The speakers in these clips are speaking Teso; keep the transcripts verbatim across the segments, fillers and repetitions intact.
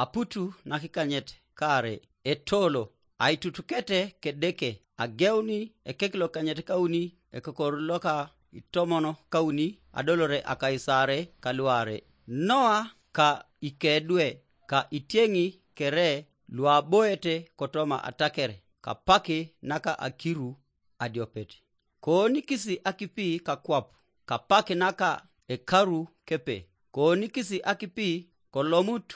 Aputu nakikanyet kaare etolo, aitutukete kedeke, ageuni ekek lokanyet kauni, ekokor loka itomono kauni, adolore akaisare kaluare. Noa ka ikedwe, ka itieŋi kere luaboete kotoma atakere, kapaki naka akiru adiopet. Koonikisi akipi kakwap, kapak naka ekaru kepe. Koonikisi akipi kolomut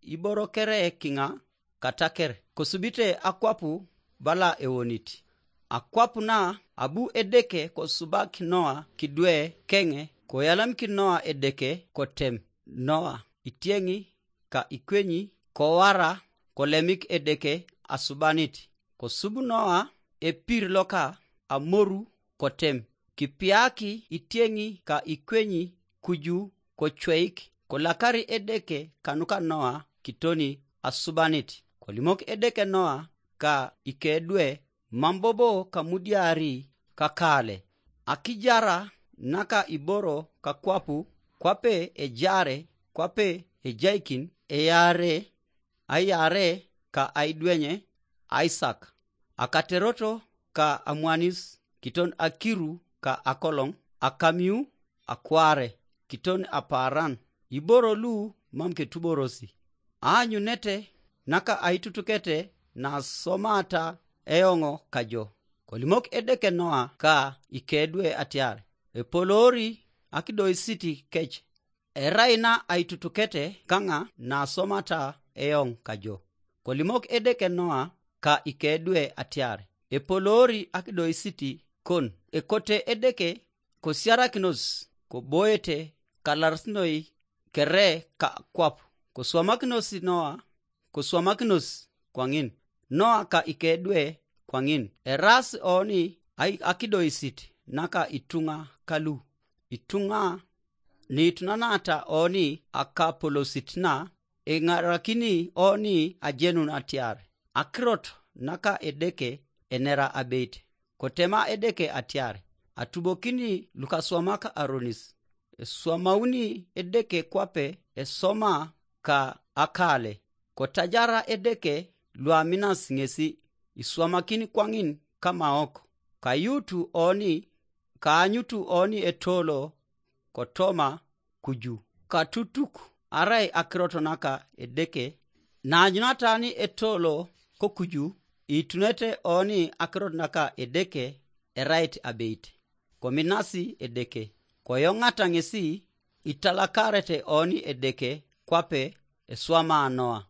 iboro kere kiŋa kataker, kosubite akwap bala ewonit. Akwap na abu Edeke kosubak Noa kidwe keŋe, koyalamikin Noa Edeke kotem. Noa itieŋi ka ikwenyi, kowara, kolemik Edeke asubanit. Kosub Noa epir loka amoru kotem. Kipiaki itieŋi ka ikwenyi kuju kocweik, kolakari Edeke kanuka Noa kitoni asubanit. Kolimok Edeke Noa ka ikedwe, mam bobo kamudiari kakale. Akijara naka iboro kakwapu, kwape ejare, kwape ejaikin, eyare, ayare ka aidwenye, Aisak. Akateroto ka amwanis kiton akiru ka akoloŋ, akamiu, akware, kiton apaaran, iboro lu mam ketuborosi. Aanyunete naka aitutukete nasomata eoŋo kajo. Kolimok Edeke Noa ka ikedwe atiar, epoloori akidoisit kec, erai na aitutukete kaŋa nasomata eoŋ kajo. Kolimok Edeke Noa ka ikedwe atiar, epoloori akidoisit kon. Ekote Edeke kosiarakinos koboete kalarisinoi kere kakwap, koswamakinos Noa, koswamakinos kwaŋin. Noa ka ikedwe kwaŋin, eraas oni ai- akidoisit naka ituŋa kalu, ituŋa niitunanata oni akapolosit na, eŋarakini oni ajenun atiar akirot naka Edeke enera abeit. Kotema Edeke atiar, atubokini lukaswamak aronis. Eswamauni Edeke kwape esoma ka akale, kotajara Edeke luaminas ŋesi, iswamakin kwaŋin kamaok, kayutu oni, kaanyutu oni etolo kotoma kuju. Katutuk arai akirot naka Edeke, naanyunatani etolo kokuju, itunete oni akirot naka Edeke erait abeit. Kominasi Edeke, koyoŋata ŋesi, italakarete oni Edeke kwape eswama Noa.